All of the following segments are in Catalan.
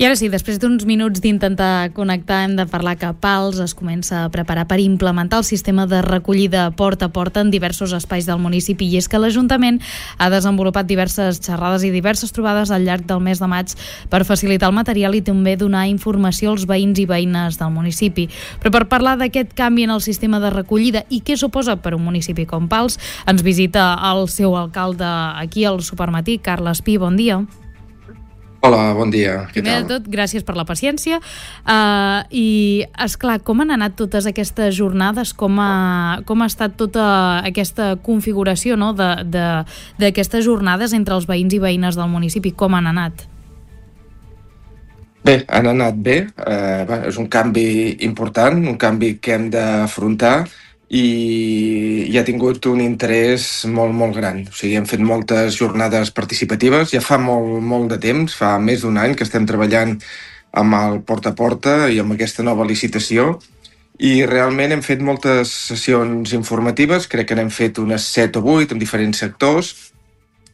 I ara sí, després d'uns minuts d'intentar connectar, hem de parlar que Pals es comença a preparar per implementar el sistema de recollida porta a porta en diversos espais del municipi, i és que l'Ajuntament ha desenvolupat diverses xerrades i diverses trobades al llarg del mes de maig per facilitar el material i també donar informació als veïns i veïnes del municipi. Però per parlar d'aquest canvi en el sistema de recollida i què suposa per un municipi com Pals, ens visita el seu alcalde aquí al Supermatí, Carles Pi. Bon dia. Hola, bon dia. Primer de tot, gràcies per la paciència. I, esclar, com han anat totes aquestes jornades? Com ha estat tota aquesta configuració, no, d'aquestes jornades entre els veïns i veïnes del municipi? Com han anat? Bé, han anat bé. És un canvi important, un canvi que hem d'afrontar i ha tingut un interès molt, molt gran. O sigui, hem fet moltes jornades participatives, ja fa molt de temps, fa més d'un any que estem treballant amb el porta a porta i amb aquesta nova licitació, i realment hem fet moltes sessions informatives, crec que n'hem fet unes 7 o 8 en diferents sectors,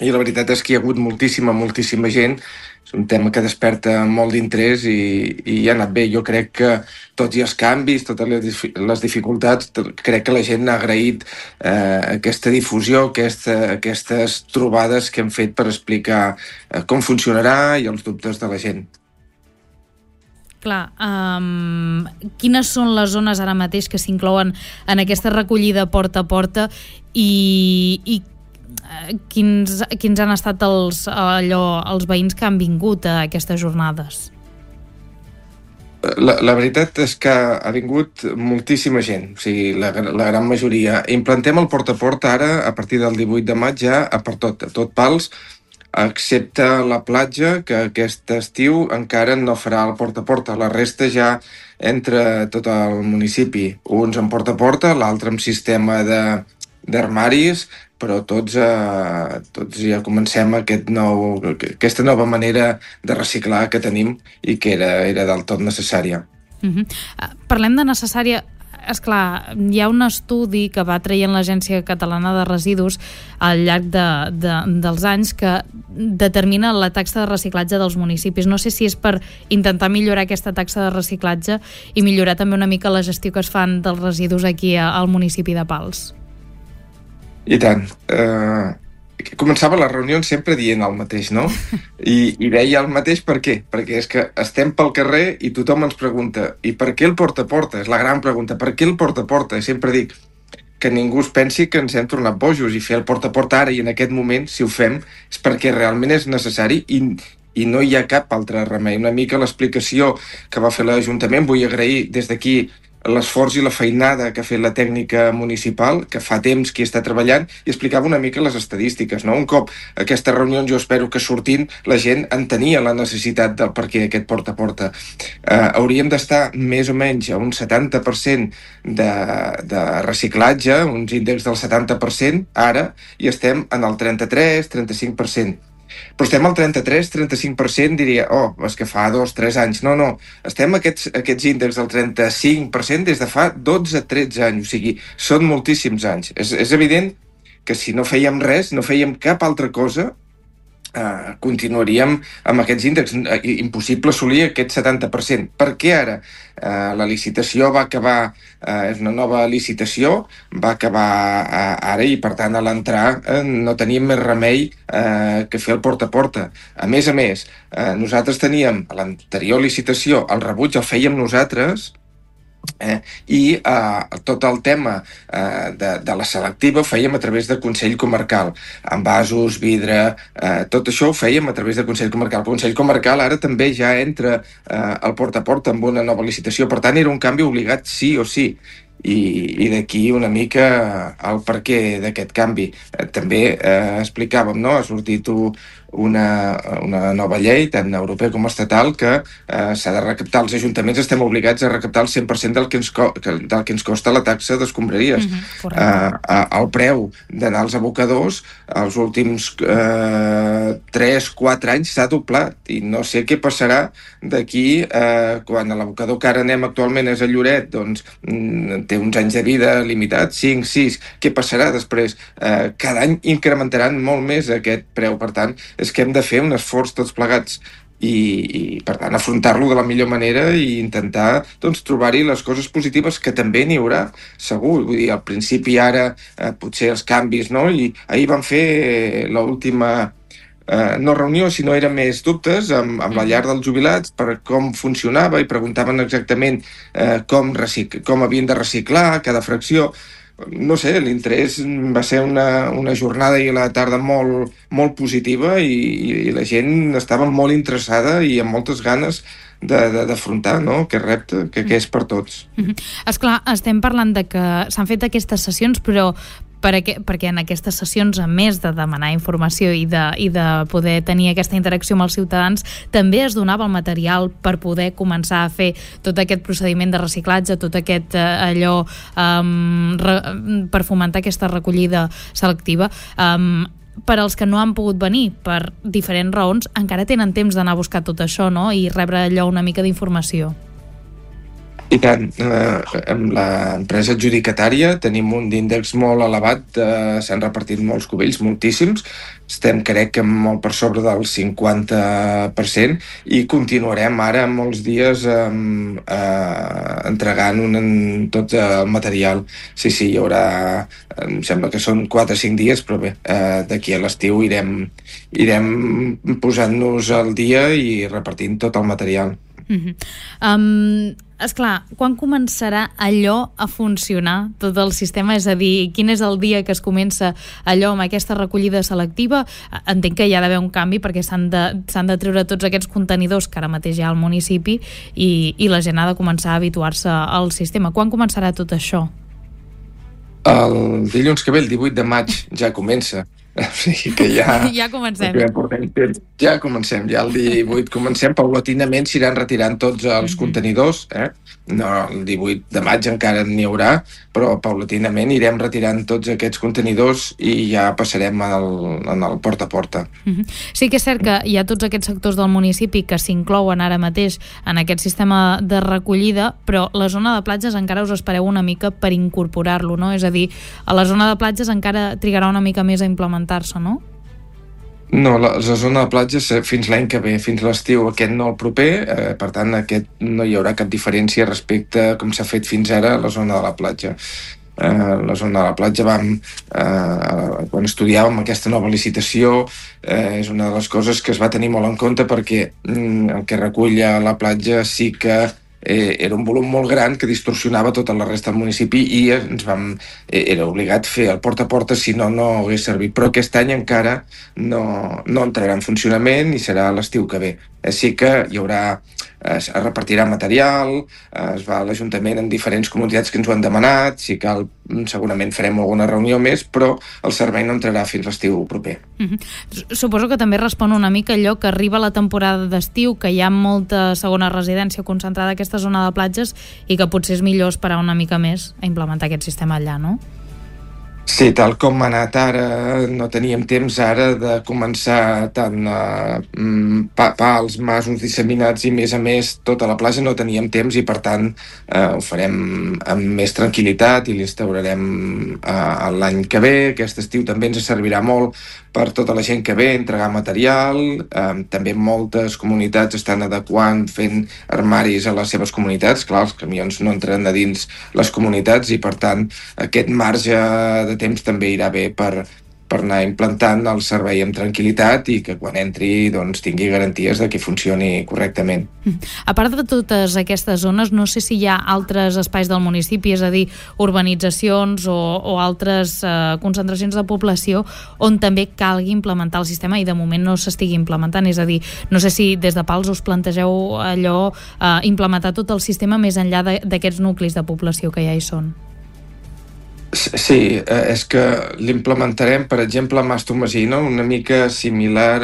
i la veritat és que hi ha hagut moltíssima gent. És un tema que desperta molt d'interès i ha anat bé. Jo crec que tots i els canvis, totes les dificultats, crec que la gent ha agraït aquesta difusió, aquestes trobades que hem fet per explicar com funcionarà i els dubtes de la gent. Clar, quines són les zones ara mateix que s'inclouen en aquesta recollida porta a porta i quins han estat els veïns que han vingut a aquestes jornades? La veritat és que ha vingut moltíssima gent, o sigui, la gran majoria. Implantem el porta a porta ara, a partir del 18 de maig, ja a tot Pals, excepte la platja, que aquest estiu encara no farà el porta a porta. La resta ja entra tot el municipi. Uns en porta a porta, l'altre amb sistema d'armaris, però tots ja comencem aquesta nova manera de reciclar que tenim i que era del tot necessària. Parlem de necessària. Esclar, hi ha un estudi que va traient l'Agència Catalana de Residus al llarg dels anys que determina la taxa de reciclatge dels municipis. No sé si és per intentar millorar aquesta taxa de reciclatge i millorar també una mica la gestió que es fan dels residus aquí al municipi de Pals. I tant. Començava les reunions sempre dient el mateix, no? I deia el mateix per què? Perquè és que estem pel carrer i tothom ens pregunta i per què el porta a porta? És la gran pregunta. Per què el porta a porta? I sempre dic que ningú es pensi que ens hem tornat bojos i fer el porta a porta ara i en aquest moment, si ho fem, és perquè realment és necessari i no hi ha cap altre remei. Una mica l'explicació que va fer l'Ajuntament, vull agrair des d'aquí l'esforç i la feinada que ha fet la tècnica municipal, que fa temps que hi està treballant, i explicava una mica les estadístiques, no? Un cop aquesta reunió, jo espero que sortint, la gent entenia la necessitat del per què aquest porta a porta. Hauríem d'estar més o menys a un 70% de reciclatge, uns índexs del 70% ara, i estem en el 33-35%. Però estem al 33-35%, diria, és que fa 2-3 anys. No, estem a aquests índexs del 35% des de fa 12-13 anys, o sigui, són moltíssims anys. És evident que si no fèiem res, no fèiem cap altra cosa, continuaríem amb aquests índexs. Impossible assolir aquest 70%. Per què ara? La licitació va acabar, és una nova licitació, va acabar ara i per tant a l'entrar no teníem més remei que fer el porta a porta. A més, nosaltres teníem a l'anterior licitació, el rebuig el fèiem nosaltres, i tot el tema de la selectiva ho fèiem a través de Consell Comarcal, envasos, vidre, tot això ho fèiem a través de Consell Comarcal. El Consell Comarcal ara també ja entra al porta a porta amb una nova licitació, per tant era un canvi obligat sí o sí. I d'aquí una mica el perquè d'aquest canvi. També explicàvem, no? Ha sortit una nova llei, tant europea com estatal, que s'ha de recaptar. Els ajuntaments estem obligats a recaptar el 100% del que ens costa la taxa d'escombraries. El preu d'anar als abocadors els últims 3-4 anys s'ha doblat i no sé què passarà d'aquí quan l'abocador que ara anem actualment és a Lloret, doncs té uns anys de vida limitats, 5, 6. Què passarà després? Cada any incrementaran molt més aquest preu, per tant, és que hem de fer un esforç tots plegats i per tant afrontar-lo de la millor manera i intentar doncs, trobar-hi les coses positives, que també n'hi haurà segur. Vull dir, al principi ara potser els canvis, no? I ahir vam fer l'última no reunió, sinó era més dubtes amb la llar dels jubilats per com funcionava, i preguntaven exactament com havien de reciclar cada fracció. No sé, l'interès va ser una jornada i la tarda molt positiva, i la gent estava molt interessada i amb moltes ganes d'afrontar, no?, aquest repte que és per tots. Esclar, estem parlant de que s'han fet aquestes sessions, però perquè en aquestes sessions, a més de demanar informació i de poder tenir aquesta interacció amb els ciutadans, també es donava el material per poder començar a fer tot aquest procediment de reciclatge, tot aquest per fomentar aquesta recollida selectiva. Per als que no han pogut venir per diferents raons, encara tenen temps d'anar a buscar tot això, no?, i rebre allò una mica d'informació. I tant, amb l'empresa adjudicatària tenim un índex molt elevat, s'han repartit molts cubells, moltíssims, estem crec que molt per sobre del 50%, i continuarem ara molts dies entregant tot el material. Sí, hi haurà, em sembla que són 4 o 5 dies, però bé, d'aquí a l'estiu irem posant-nos al dia i repartint tot el material. Esclar, quan començarà allò a funcionar, tot el sistema? És a dir, quin és el dia que es comença allò amb aquesta recollida selectiva? Entenc que hi ha d'haver un canvi perquè s'han de treure tots aquests contenidors que ara mateix hi ha al municipi, i la gent ha de començar a habituar-se al sistema. Quan començarà tot això? El dilluns que ve, el 18 de maig, ja comença. O sigui que ja comencem. Ja comencem, ja el 18 comencem. Paulatinament s'iran retirant tots els contenidors, No, el 18 de maig encara n'hi haurà, però paulatinament irem retirant tots aquests contenidors i ja passarem en el porta a porta. Sí que és cert que hi ha tots aquests sectors del municipi que s'inclouen ara mateix en aquest sistema de recollida, però la zona de platges encara us espereu una mica per incorporar-lo, no? És a dir, a la zona de platges encara trigarà una mica més a implementar-se, no? No, la zona de platges fins l'any que ve, fins l'estiu, aquest no el proper, per tant aquest no hi haurà cap diferència respecte a com s'ha fet fins ara a la zona de la platja. La zona de la platja quan estudiàvem aquesta nova licitació, és una de les coses que es va tenir molt en compte, perquè el que recull a la platja sí que era un volum molt gran que distorsionava tota la resta del municipi, i era obligat fer el porta a porta, si no hagués servit. Però aquest any encara no entrarà en funcionament i serà l'estiu que ve. Sí que hi haurà, es repartirà material, es va a l'Ajuntament en diferents comunitats que ens ho han demanat, si cal segurament farem alguna reunió més, però el servei no entrarà fins l'estiu proper. Suposo que també respon una mica allò que arriba la temporada d'estiu, que hi ha molta segona residència concentrada a aquesta zona de platges i que potser és millor esperar una mica més a implementar aquest sistema allà, no? Sí, tal com ha anat ara, no teníem temps ara de començar tant pals, masos disseminats i més a més tota la platja, no teníem temps, i per tant ho farem amb més tranquil·litat i l'instaurarem l'any que ve. Aquest estiu també ens servirà molt per tota la gent que ve a entregar material. També moltes comunitats estan adequant, fent armaris a les seves comunitats. Clar, els camions no entren a dins les comunitats i per tant aquest marge de temps també irà bé per anar implantant el servei amb tranquil·litat i que quan entri doncs tingui garanties de que funcioni correctament. A part de totes aquestes zones, no sé si hi ha altres espais del municipi, és a dir, urbanitzacions o altres concentracions de població on també calgui implementar el sistema i de moment no s'estigui implementant. És a dir, no sé si des de Pals us plantegeu allò, implementar tot el sistema més enllà d'aquests nuclis de població que ja hi són. Sí, és que l'implementarem, per exemple, a Mas Tomasí, no? Una mica similar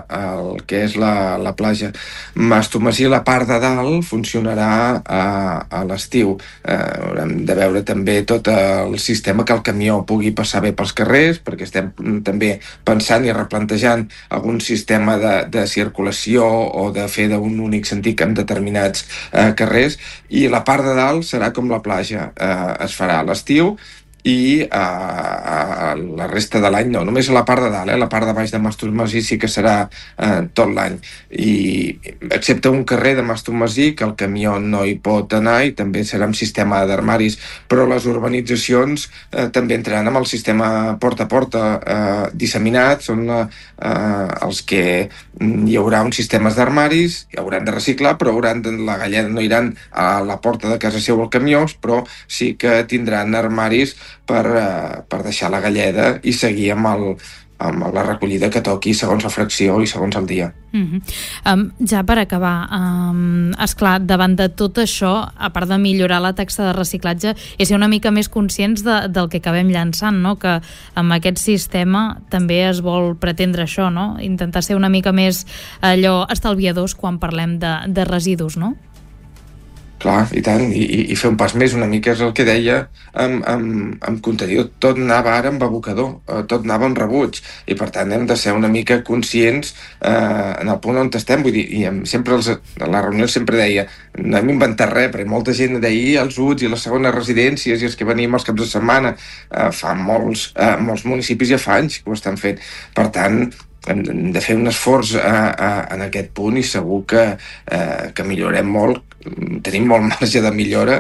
al que és la platja. Mas Tomasí, la part de dalt, funcionarà a l'estiu. Haurem de veure també tot el sistema que el camió pugui passar bé pels carrers, perquè estem també pensant i replantejant algun sistema de circulació o de fer d'un únic sentit en determinats carrers, i la part de dalt serà com la platja. Es farà a l'estiu i a la resta de l'any no, només a la part de dalt, la part de baix de Mastormasí sí que serà tot l'any, i excepte un carrer de Mastormasí que el camió no hi pot anar i també serà amb sistema d'armaris, però les urbanitzacions també entraran amb el sistema porta a porta disseminat, són els que hi haurà uns sistemes d'armaris, hi hauran de reciclar, però la galleda no iran a la porta de casa seu al camió, però sí que tindran armaris per deixar la galleda i seguir amb la recollida que toqui segons la fracció i segons el dia. Ja per acabar, esclar, davant de tot això, a part de millorar la taxa de reciclatge, és ser una mica més conscients del que acabem llançant, no? Que amb aquest sistema també es vol pretendre això, no? Intentar ser una mica més allò estalviadors quan parlem de residus, no? Clar, i tant, i fer un pas més una mica és el que deia amb contenidor, tot anava ara amb abocador, tot anava amb rebuig, i per tant hem de ser una mica conscients en el punt on estem, vull dir, i sempre a la reunió sempre deia, no hem inventat res, perquè molta gent deia els UTs i les segones residències i els que venim els caps de setmana, fa molts municipis ja fa anys que ho estan fent, per tant hem de fer un esforç en aquest punt i segur que millorem molt, tenim molt marge de millora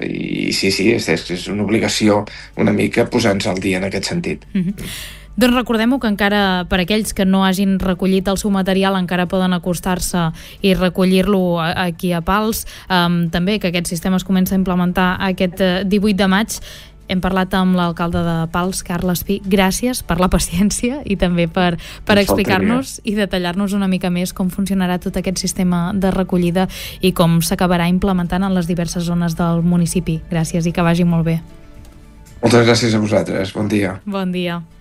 i sí, és una obligació una mica posar-nos al dia en aquest sentit. Doncs recordem-ho que encara per aquells que no hagin recollit el seu material encara poden acostar-se i recollir-lo aquí a Pals, també que aquest sistema es comença a implementar aquest 18 de maig. Hem parlat amb l'alcalde de Pals, Carles Pi. Gràcies per la paciència i també per explicar-nos i detallar-nos una mica més com funcionarà tot aquest sistema de recollida i com s'acabarà implementant en les diverses zones del municipi. Gràcies i que vagi molt bé. Moltes gràcies a vosaltres. Bon dia. Bon dia.